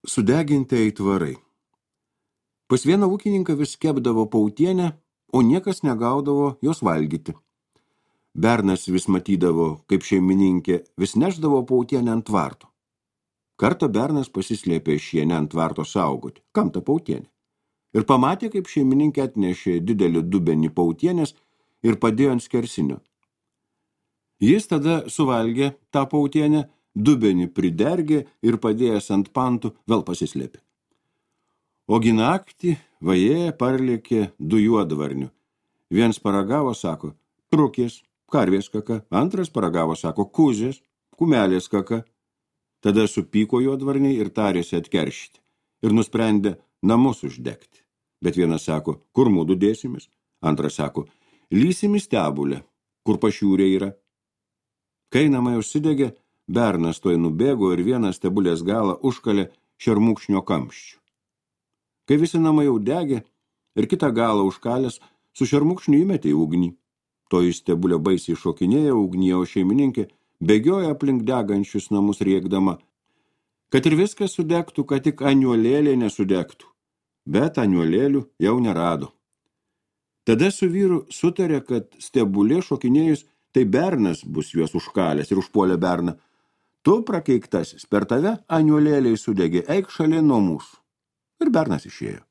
Sudeginti aitvarai. Pas vieną ūkininką vis kepdavo pautienę, o niekas negaudavo jos valgyti. Bernas vis matydavo, kaip šeimininkė vis nešdavo pautienę ant tvarto. Kartą bernas pasislėpė šienę ant tvarto saugoti. Kam ta pautienė? Ir pamatė, kaip šeimininkė atnešė didelį dubenį pautienės ir padėjo ant skersinio. Jis tada suvalgė tą pautienę, dubenį pridergė ir padėjęs ant pantų vėl pasislėpė. Ogi naktį vajė parlėkė 2 juodvarnių. Viens paragavo, sako, trukės, karvės kaka, antras paragavo, sako, kuzės, kumelės kaka. Tada supyko juodvarniai ir tarėsi atkeršyti ir nusprendė namus uždegti. Bet vienas sako, kur mūdu dėsimės? Antras sako, lysim į stebulę, kur pašiūrė yra. Kai namai užsidegė, bernas toj nubėgo ir vieną stebulės galą užkalė šermukšnio kamščiu. Kai visi namai jau degė ir kitą galą užkalęs, su šermukšniu įmetė į ugnį. Toji stebulė baisiai šokinėjo ugnyje, o šeimininkė bėgioja aplink degančius namus rėkdama, kad ir viskas sudegtų, kad tik aniuolėlė nesudegtų. Bet aniuolėlių jau nerado. Tada su vyru sutarė, kad stebulė šokinėjus, tai bernas bus juos užkalęs ir užpuolė berną. Tu, prakeiktasis, per tave aniuolėliai sudegė, eik šalin nuo mūsų. Ir bernas išėjo.